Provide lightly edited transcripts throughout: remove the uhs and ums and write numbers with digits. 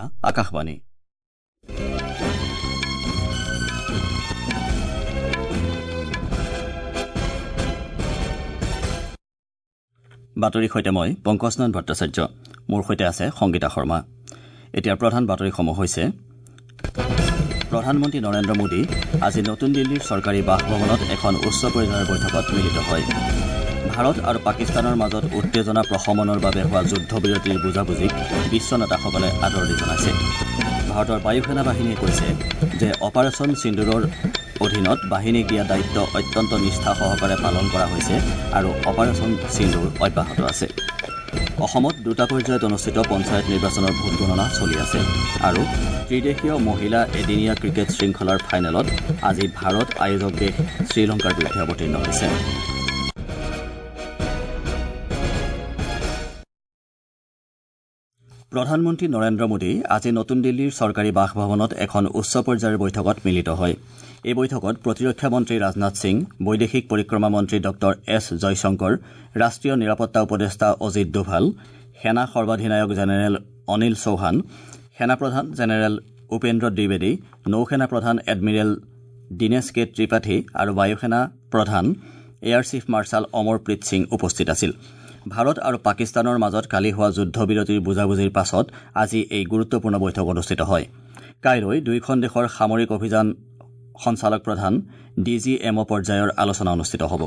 এয়া আকাশবাণী। বাতৰিৰ সৈতে মই পংকজনয়ন ভট্টাচাৰ্য, মোৰ সৈতে আছে সংগীতা শৰ্মা। এতিয়া প্ৰধান বাতৰিসমূহ হৈছে: প্ৰধানমন্ত্ৰী নৰেন্দ্ৰ মোদী আজি নতুন দিল্লীৰ চৰকাৰী বাসভৱনত এখন উচ্চ পৰ্যায়ৰ বৈঠকত মিলিত হয়। ভাৰত আৰু পাকিস্তানৰ মাজত উত্তেজনা প্ৰশমনৰ বাবে হোৱা যুদ্ধবিৰতিৰ বুজাবুজিক বিশ্ব নেতাসকলে আদৰণি জনাইছে। ভাৰতৰ বায়ুসেনা বাহিনীয়ে কৈছে যে অপাৰেচন সিন্দুৰৰ অধীনত বাহিনীক দিয়া দায়িত্ব অত্যন্ত নিষ্ঠা সহকাৰে পালন কৰা হৈছে আৰু অপাৰেচন সিন্দুৰ অব্যাহত আছে। অসমত দুটা পৰ্যায়ত অনুষ্ঠিত পঞ্চায়ত নিৰ্বাচনৰ ভোটগণনা চলি আছে আৰু ত্ৰিদেশীয় মহিলা এদিনীয়া ক্ৰিকেট শৃংখলাৰ ফাইনেলত আজি ভাৰত আয়োজক দেশ শ্ৰীলংকাৰ বিৰুদ্ধে অৱতীৰ্ণ হৈছে। প্ৰধানমন্ত্ৰী নৰেন্দ্ৰ মোদী আজি নতুন দিল্লীৰ চৰকাৰী বাসভৱনত এখন উচ্চ পৰ্যায়ৰ বৈঠকত মিলিত হয়। এই বৈঠকত প্ৰতিৰক্ষা মন্ত্ৰী ৰাজনাথ সিং, বৈদেশিক পৰিক্ৰমা মন্ত্ৰী ডঃ এছ জয়শংকৰ, ৰাষ্ট্ৰীয় নিৰাপত্তা উপদেষ্টা অজিত দোভাল, সেনা সৰ্বাধিনায়ক জেনেৰেল অনিল চৌহান, সেনাপ্ৰধান জেনেৰেল উপেন্দ্ৰ দ্বিবেদী, নৌসেনা প্ৰধান এডমিৰেল দীনেশ কে ত্ৰিপাঠী আৰু বায়ুসেনা প্ৰধান air chief marshal Amarpreet Singh উপস্থিত আছিল। ভাৰত আৰু পাকিস্তানৰ মাজত কালি হোৱা যুদ্ধবিৰতিৰ বুজাবুজিৰ পাছত আজি এই গুৰুত্বপূৰ্ণ বৈঠক অনুষ্ঠিত হয়। কাইলৈ দুয়োখন দেশৰ সামৰিক অভিযান সঞ্চালক প্ৰধান ডি জি এম অ' পৰ্যায়ৰ আলোচনা অনুষ্ঠিত হ'ব।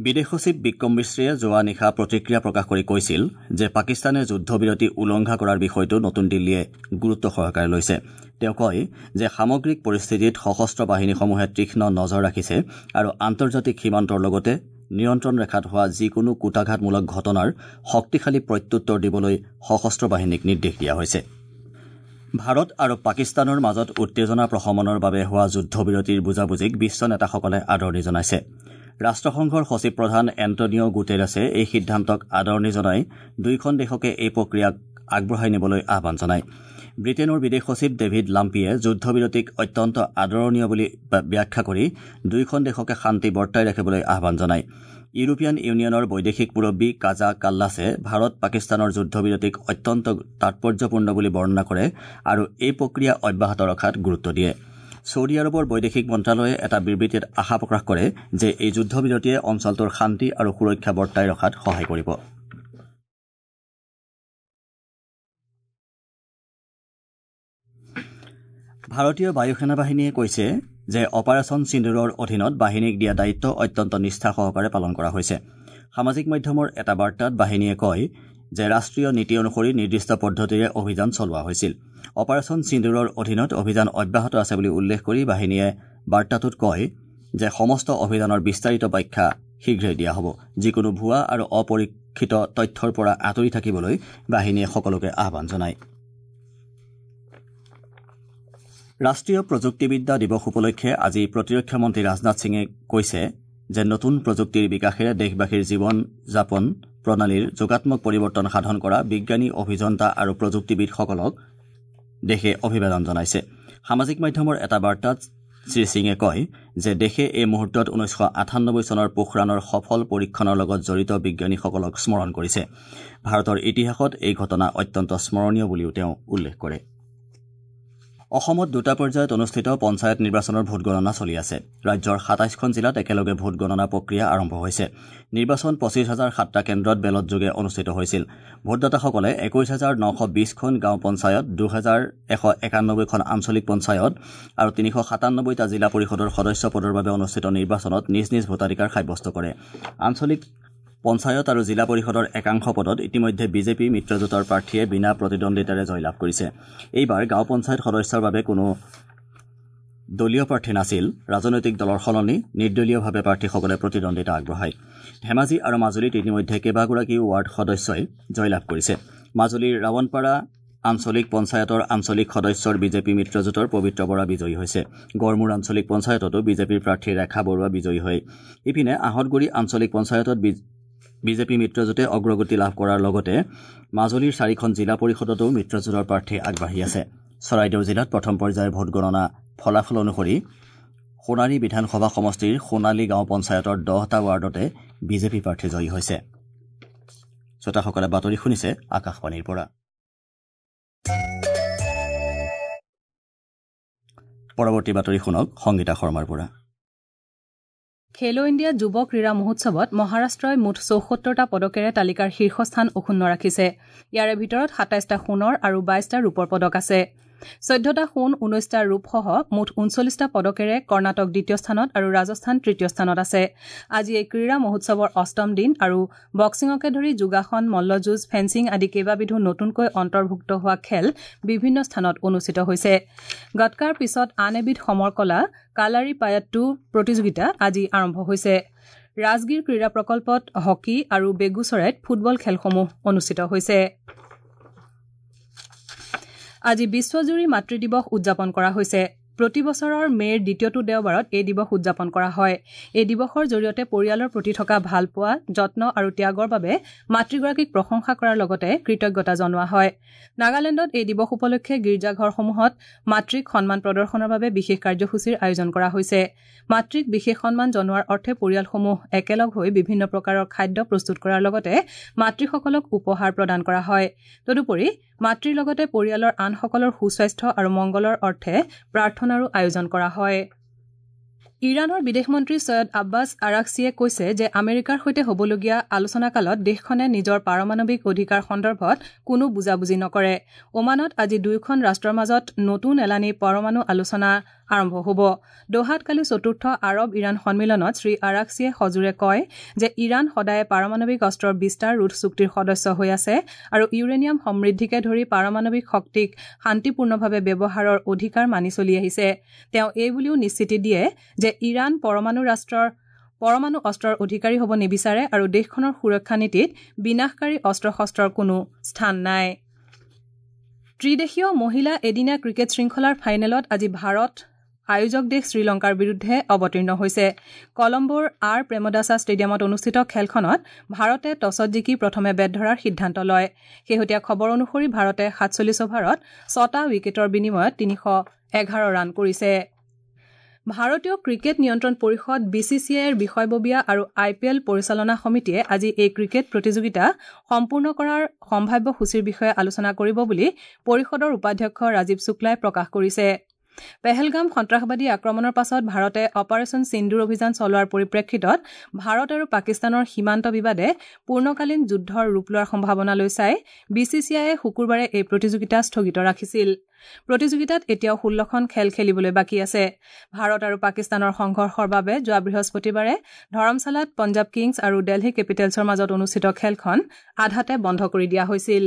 বিদেশ সচিব বিক্ৰম মিশ্ৰীয়ে যোৱা নিশা প্ৰতিক্ৰিয়া প্ৰকাশ কৰি কৈছিল যে পাকিস্তানে যুদ্ধবিৰতি উলংঘা কৰাৰ বিষয়টো নতুন দিল্লীয়ে গুৰুত্ব সহকাৰে লৈছে। তেওঁ কয় যে সামগ্ৰিক পৰিস্থিতিত সশস্ত্ৰ বাহিনীসমূহে তীক্ষ্ণ নজৰ ৰাখিছে আৰু আন্তৰ্জাতিক সীমান্তৰ লগতে নিয়ন্ত্ৰণ ৰেখাত হোৱা যিকোনো কূটাঘাতমূলক ঘটনাৰ শক্তিশালী প্ৰত্যুত্তৰ দিবলৈ সশস্ত্ৰ বাহিনীক নিৰ্দেশ দিয়া হৈছে। ভাৰত আৰু পাকিস্তানৰ মাজত উত্তেজনা প্ৰশমনৰ বাবে হোৱা যুদ্ধবিৰতিৰ বুজাবুজিক বিশ্ব নেতাসকলে আদৰণি জনাইছে। ৰাষ্ট্ৰসংঘৰ সচিব প্ৰধান এণ্টনিঅ' গুটেৰেছে এই সিদ্ধান্তক আদৰণি জনাই দুয়োখন দেশকে এই প্ৰক্ৰিয়াক আগবঢ়াই নিবলৈ আহ্বান জনায়। ব্ৰিটেইনৰ বিদেশ সচিব ডেভিড লাম্পিয়ে যুদ্ধবিৰতিক অত্যন্ত আদৰণীয় বুলি ব্যাখ্যা কৰি দুয়োখন দেশকে শান্তি বৰ্তাই ৰাখিবলৈ আহ্বান জনায়। ইউৰোপীয়ান ইউনিয়নৰ বৈদেশিক মুৰব্বী কাজা কাল্লাছে ভাৰত পাকিস্তানৰ যুদ্ধবিৰতিক অত্যন্ত তাৎপৰ্যপূৰ্ণ বুলি বৰ্ণনা কৰে আৰু এই প্ৰক্ৰিয়া অব্যাহত ৰখাত গুৰুত্ব দিয়ে। ছৌদি আৰৱৰ বৈদেশিক মন্ত্ৰালয়ে এটা বিবৃতিত আশা প্ৰকাশ কৰে যে এই যুদ্ধবিৰতিয়ে অঞ্চলটোৰ শান্তি আৰু সুৰক্ষা বৰ্তাই ৰখাত সহায় কৰিব। ভাৰতীয় বায়ুসেনা বাহিনীয়ে কৈছে যে অপাৰেচন সিন্দুৰৰ অধীনত বাহিনীক দিয়া দায়িত্ব অত্যন্ত নিষ্ঠা সহকাৰে পালন কৰা হৈছে। সামাজিক মাধ্যমৰ এটা বাৰ্তাত বাহিনীয়ে কয় যে ৰাষ্ট্ৰীয় নীতি অনুসৰি নিৰ্দিষ্ট পদ্ধতিৰে অভিযান চলোৱা হৈছিল। অপাৰেচন সিন্দুৰৰ অধীনত অভিযান অব্যাহত আছে বুলি উল্লেখ কৰি বাহিনীয়ে বাৰ্তাটোত কয় যে সমস্ত অভিযানৰ বিস্তাৰিত ব্যাখ্যা শীঘ্ৰেই দিয়া হ'ব। যিকোনো ভুৱা আৰু অপৰীক্ষিত তথ্যৰ পৰা আঁতৰি থাকিবলৈ বাহিনীয়ে সকলোকে আহ্বান জনায়। ৰাষ্ট্ৰীয় প্ৰযুক্তিবিদ্যা দিৱস উপলক্ষে আজি প্ৰতিৰক্ষা মন্ত্ৰী ৰাজনাথ সিঙে কৈছে যে নতুন প্ৰযুক্তিৰ বিকাশেৰে দেশবাসীৰ জীৱন যাপন প্ৰণালীৰ যোগাত্মক পৰিৱৰ্তন সাধন কৰা বিজ্ঞানী, অভিযন্তা আৰু প্ৰযুক্তিবিদসকলক দেশে অভিবাদন জনাইছে। সামাজিক মাধ্যমৰ এটা বাৰ্তাত শ্ৰীসিঙে কয় যে দেশে এই মুহূৰ্তত 1998 চনৰ পোখৰাণৰ সফল পৰীক্ষণৰ লগত জড়িত বিজ্ঞানীসকলক স্মৰণ কৰিছে। ভাৰতৰ ইতিহাসত এই ঘটনা অত্যন্ত স্মৰণীয় বুলিও তেওঁ উল্লেখ কৰে। অসমত দুটা পৰ্যায়ত অনুষ্ঠিত পঞ্চায়ত নিৰ্বাচনৰ ভোটগণনা চলি আছে। ৰাজ্যৰ 27খন জিলাত একেলগে ভোটগণনা প্ৰক্ৰিয়া আৰম্ভ হৈছে। নিৰ্বাচন 25,007টা কেন্দ্ৰত বেলটযোগে অনুষ্ঠিত হৈছিল। ভোটদাতাসকলে 21,920খন গাঁও পঞ্চায়ত, 2,191খন আঞ্চলিক পঞ্চায়ত আৰু 397টা জিলা পৰিষদৰ সদস্য পদৰ বাবে অনুষ্ঠিত নিৰ্বাচনত নিজ নিজ ভোটাধিকাৰ সাব্যস্ত কৰে। আঞ্চলিক পঞ্চায়ত আৰু জিলা পৰিষদৰ একাংশ পদত ইতিমধ্যে বিজেপি মিত্ৰজোঁটৰ প্ৰাৰ্থীয়ে বিনা প্ৰতিদ্বন্দ্বিতাৰে জয়লাভ কৰিছে। এইবাৰ গাঁও পঞ্চায়ত সদস্যৰ বাবে কোনো দলীয় প্ৰাৰ্থী নাছিল। ৰাজনৈতিক দলৰ সলনি নিৰ্দলীয়ভাৱে প্ৰাৰ্থীসকলে প্ৰতিদ্বন্দ্বিতা আগবঢ়ায়। ধেমাজি আৰু মাজুলীত ইতিমধ্যে কেইবাগৰাকীও ৱাৰ্ড সদস্যই জয়লাভ কৰিছে। মাজুলীৰ ৰাৱণপাৰা আঞ্চলিক পঞ্চায়তৰ আঞ্চলিক সদস্যৰ বিজেপি মিত্ৰজোঁটৰ পবিত্ৰ বৰা বিজয়ী হৈছে। গড়মূৰ আঞ্চলিক পঞ্চায়ততো বিজেপিৰ প্ৰাৰ্থী ৰেখা বৰুৱা বিজয়ী হয়। ইপিনে আহঁতগুৰি আঞ্চলিক পঞ্চায়তত বিজেপি মিত্ৰজোঁটে অগ্ৰগতি লাভ কৰাৰ লগতে মাজুলীৰ 4খন জিলা পৰিষদতো মিত্ৰজোঁটৰ প্ৰাৰ্থী আগবাঢ়ি আছে। চৰাইদেউ জিলাত প্ৰথম পৰ্যায়ৰ ভোটগণনা ফলাফল অনুসৰি সোণাৰী বিধানসভা সমষ্টিৰ সোণালী গাঁও পঞ্চায়তৰ 10টা ৱাৰ্ডতে বিজেপি প্ৰাৰ্থী জয়ী হৈছে। শ্ৰোতাসকলে বাতৰি শুনিছে আকাশবাণীৰ পৰা। পৰৱৰ্তী বাতৰি শুনক সংগীতা শৰ্মাৰ পৰা। খেলো ইণ্ডিয়া যুৱ ক্ৰীড়া মহোৎসৱত মহাৰাষ্ট্ৰই মুঠ ৭৪টা পদকেৰে তালিকাৰ শীৰ্ষস্থান অক্ষুণ্ণ ৰাখিছে। ইয়াৰে ভিতৰত ২৭টা সোণৰ আৰু ২২টা ৰূপৰ পদক আছে। ১৪টা সোণ, ১৯টা ৰূপসহ মুঠ ৩৯টা পদকেৰে কৰ্ণাটক দ্বিতীয় স্থানত আৰু ৰাজস্থান তৃতীয় স্থানত আছে। আজি এই ক্ৰীড়া মহোৎসৱৰ অষ্টম দিন আৰু বক্সিঙকে ধৰি যোগাসন, মল্লযুঁজ, ফেন্সিং আদি কেইবাবিধো নতুনকৈ অন্তৰ্ভুক্ত হোৱা খেল বিভিন্ন স্থানত অনুষ্ঠিত হৈছে। গটকাৰ পিছত আন এবিধ সমৰ কলা কালাৰী পায়াট্টু প্ৰতিযোগিতা আজি আৰম্ভ হৈছে। ৰাজগীৰ ক্ৰীড়া প্ৰকল্পত হকী আৰু বেগুচৰাইত ফুটবল খেলসমূহ অনুষ্ঠিত হৈছে। আজি বিশ্বজুৰি মাতৃ দিৱস উদযাপন কৰা হৈছে। প্ৰতি বছৰৰ মে'ৰ দ্বিতীয়টো দেওবাৰত এই দিৱস উদযাপন কৰা হয়। এই দিৱসৰ জৰিয়তে পৰিয়ালৰ প্ৰতি থকা ভালপোৱা, যত্ন আৰু ত্যাগৰ বাবে মাতৃগৰাকীক প্ৰশংসা কৰাৰ লগতে কৃতজ্ঞতা জনোৱা হয়। নাগালেণ্ডত এই দিৱস উপলক্ষে গীৰ্জাঘৰসমূহত মাতৃক সন্মান প্ৰদৰ্শনৰ বাবে বিশেষ কাৰ্যসূচীৰ আয়োজন কৰা হৈছে। মাতৃক বিশেষ সন্মান জনোৱাৰ অৰ্থে পৰিয়ালসমূহ একেলগ হৈ বিভিন্ন প্ৰকাৰৰ খাদ্য প্ৰস্তুত কৰাৰ লগতে মাতৃসকলক উপহাৰ প্ৰদান কৰা হয়। তদুপৰি মাতৃৰ লগতে পৰিয়ালৰ আনসকলৰ সুস্বাস্থ্য আৰু মংগলৰ অৰ্থে প্ৰাৰ্থনাৰো আয়োজন কৰা হয়। ইৰাণৰ বিদেশ মন্ত্ৰী ছৈয়দ আব্বাছ আৰাকছিয়ে কৈছে যে আমেৰিকাৰ সৈতে হ'বলগীয়া আলোচনাকালত দেশখনে নিজৰ পাৰমাণৱিক অধিকাৰ সন্দৰ্ভত কোনো বুজাবুজি নকৰে। ওমানত আজি দুয়োখন ৰাষ্ট্ৰৰ মাজত নতুন এলানি পৰমাণু আলোচনা আৰম্ভ হ'ব। দোহাত কালি চতুৰ্থ আৰৱ ইৰাণ সন্মিলনত শ্ৰী আৰাকছিয়ে সজোৰে কয় যে ইৰাণ সদায়ে পাৰমাণৱিক অস্ত্ৰৰ বিস্তাৰ ৰোধ চুক্তিৰ সদস্য হৈ আছে আৰু ইউৰেনিয়াম সমৃদ্ধিকে ধৰি পাৰমাণৱিক শক্তিক শান্তিপূৰ্ণভাৱে ব্যৱহাৰৰ অধিকাৰ মানি চলি আহিছে। তেওঁ এই বুলিও নিশ্চিতি দিয়ে যে ইৰাণ পৰমাণু অস্ত্ৰৰ অধিকাৰী হ'ব নিবিচাৰে আৰু দেশখনৰ সুৰক্ষা নীতিত বিনাশকাৰী অস্ত্ৰ শস্ত্ৰৰ কোনো স্থান নাই। ত্ৰিদেশীয় মহিলা এদিনীয়া ক্ৰিকেট শৃংখলাৰ ফাইনেলত আজি ভাৰত আয়োজক দেশ শ্ৰীলংকাৰ বিৰুদ্ধে অৱতীৰ্ণ হৈছে। কলম্বোৰ আৰ প্ৰেমদাসা ষ্টেডিয়ামত অনুষ্ঠিত খেলখনত ভাৰতে টছত জিকি প্ৰথমে বেট ধৰাৰ সিদ্ধান্ত লয়। শেহতীয়া খবৰ অনুসৰি ভাৰতে ৪৭ অভাৰত ৬টা উইকেটৰ বিনিময়ত ৩১১ ৰান কৰিছে। ভাৰতীয় ক্ৰিকেট নিয়ন্ত্ৰণ পৰিষদ বি চি চি আইৰ বিষয়ববীয়া আৰু আই পি এল পৰিচালনা সমিতিয়ে আজি এই ক্ৰিকেট প্ৰতিযোগিতা সম্পূৰ্ণ কৰাৰ সম্ভাৱ্য সূচীৰ বিষয়ে আলোচনা কৰিব বুলি পৰিষদৰ উপাধ্যক্ষ ৰাজীৱ শুক্লাই প্ৰকাশ কৰিছে। পেহেলগাম সন্ত্ৰাসবাদী আক্ৰমণৰ পাছত ভাৰতে অপাৰেচন সিন্দুৰ অভিযান চলোৱাৰ পৰিপ্ৰেক্ষিতত ভাৰত আৰু পাকিস্তানৰ সীমান্ত বিবাদে পূৰ্ণকালীন যুদ্ধৰ ৰূপ লোৱাৰ সম্ভাৱনালৈ চাই বি চি চি আইয়ে শুকুৰবাৰে এই প্ৰতিযোগিতা স্থগিত ৰাখিছিল। প্ৰতিযোগিতাত এতিয়াও ১৬খন খেল খেলিবলৈ বাকী আছে। ভাৰত আৰু পাকিস্তানৰ সংঘৰ্ষৰ বাবে যোৱা বৃহস্পতিবাৰে ধৰমশালাত পঞ্জাৱ কিংছ আৰু দেলহি কেপিটেলছৰ মাজত অনুষ্ঠিত খেলখন আধাতে বন্ধ কৰি দিয়া হৈছিল।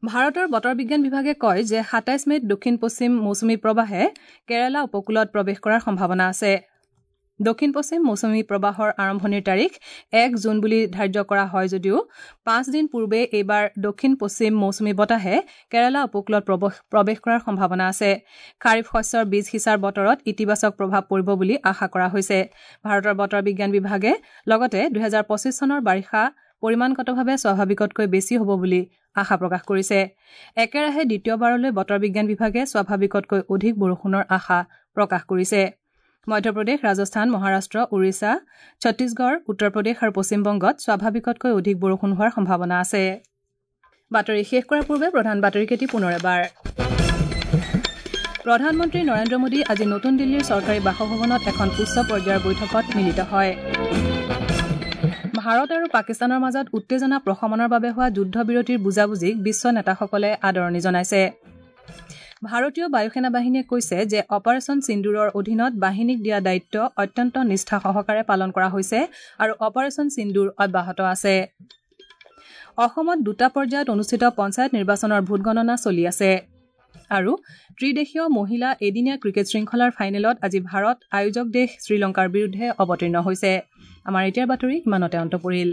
ভাৰতৰ বতৰ বিজ্ঞান বিভাগে কয় যে ২৭ মে'ত দক্ষিণ পশ্চিম মৌচুমী প্ৰবাহে কেৰালা উপকূলত প্ৰৱেশ কৰাৰ সম্ভাৱনা আছে। দক্ষিণ পশ্চিম মৌচুমী প্ৰবাহৰ আৰম্ভণিৰ তাৰিখ ১ জুন বুলি ধাৰ্য কৰা হয় যদিও ৫ দিন পূৰ্বে এইবাৰ দক্ষিণ পশ্চিম মৌচুমী বতাহে কেৰালা উপকূলত প্ৰৱেশ কৰাৰ সম্ভাৱনা আছে। খাৰিফ শস্যৰ বীজ সিঁচাৰ বতৰত ইতিবাচক প্ৰভাৱ পৰিব বুলি আশা কৰা হৈছে। ভাৰতৰ বতৰ বিজ্ঞান বিভাগে লগতে ২০২৫ চনৰ বাৰিষা পৰিমাণগতভাৱে স্বাভাৱিকতকৈ বেছি হ'ব বুলি আশা প্ৰকাশ কৰিছে। একেৰাহে দ্বিতীয়বাৰলৈ বতৰ বিজ্ঞান বিভাগে স্বাভাৱিকতকৈ অধিক বৰষুণৰ আশা প্ৰকাশ কৰিছে। মধ্যপ্ৰদেশ, ৰাজস্থান, মহাৰাষ্ট্ৰ, ওড়িশা, ছত্তীশগড়, উত্তৰ প্ৰদেশ আৰু পশ্চিমবংগত স্বাভাৱিকতকৈ অধিক বৰষুণ হোৱাৰ সম্ভাৱনা আছে। বাতৰি শেষ কৰাৰ পূৰ্বে প্ৰধান বাতৰিকেইটি পুনৰ এবাৰ। প্ৰধানমন্ত্ৰী নৰেন্দ্ৰ মোদী আজি নতুন দিল্লীৰ চৰকাৰী বাসভৱনত এখন উচ্চ পৰ্যায়ৰ বৈঠকত মিলিত হয়। ভাৰত আৰু পাকিস্তানৰ মাজত উত্তেজনা প্ৰশমনৰ বাবে হোৱা যুদ্ধবিৰতিৰ বুজাবুজিক বিশ্ব নেতাসকলে আদৰণি জনাইছে। ভাৰতীয় বায়ুসেনা বাহিনীয়ে কৈছে যে অপাৰেচন সিন্দুৰৰ অধীনত বাহিনীক দিয়া দায়িত্ব অত্যন্ত নিষ্ঠা সহকাৰে পালন কৰা হৈছে আৰু অপাৰেচন সিন্দুৰ অব্যাহত আছে। অসমত দুটা পৰ্যায়ত অনুষ্ঠিত পঞ্চায়ত নিৰ্বাচনৰ ভোটগণনা চলি আছে। আৰু ত্ৰিদেশীয় মহিলা এদিনীয়া ক্ৰিকেট শৃংখলাৰ ফাইনেলত আজি ভাৰত আয়োজক দেশ শ্ৰীলংকাৰ বিৰুদ্ধে অৱতীৰ্ণ হৈছে। আমাৰ এতিয়াৰ বাতৰি ইমানতে অন্ত পৰিল।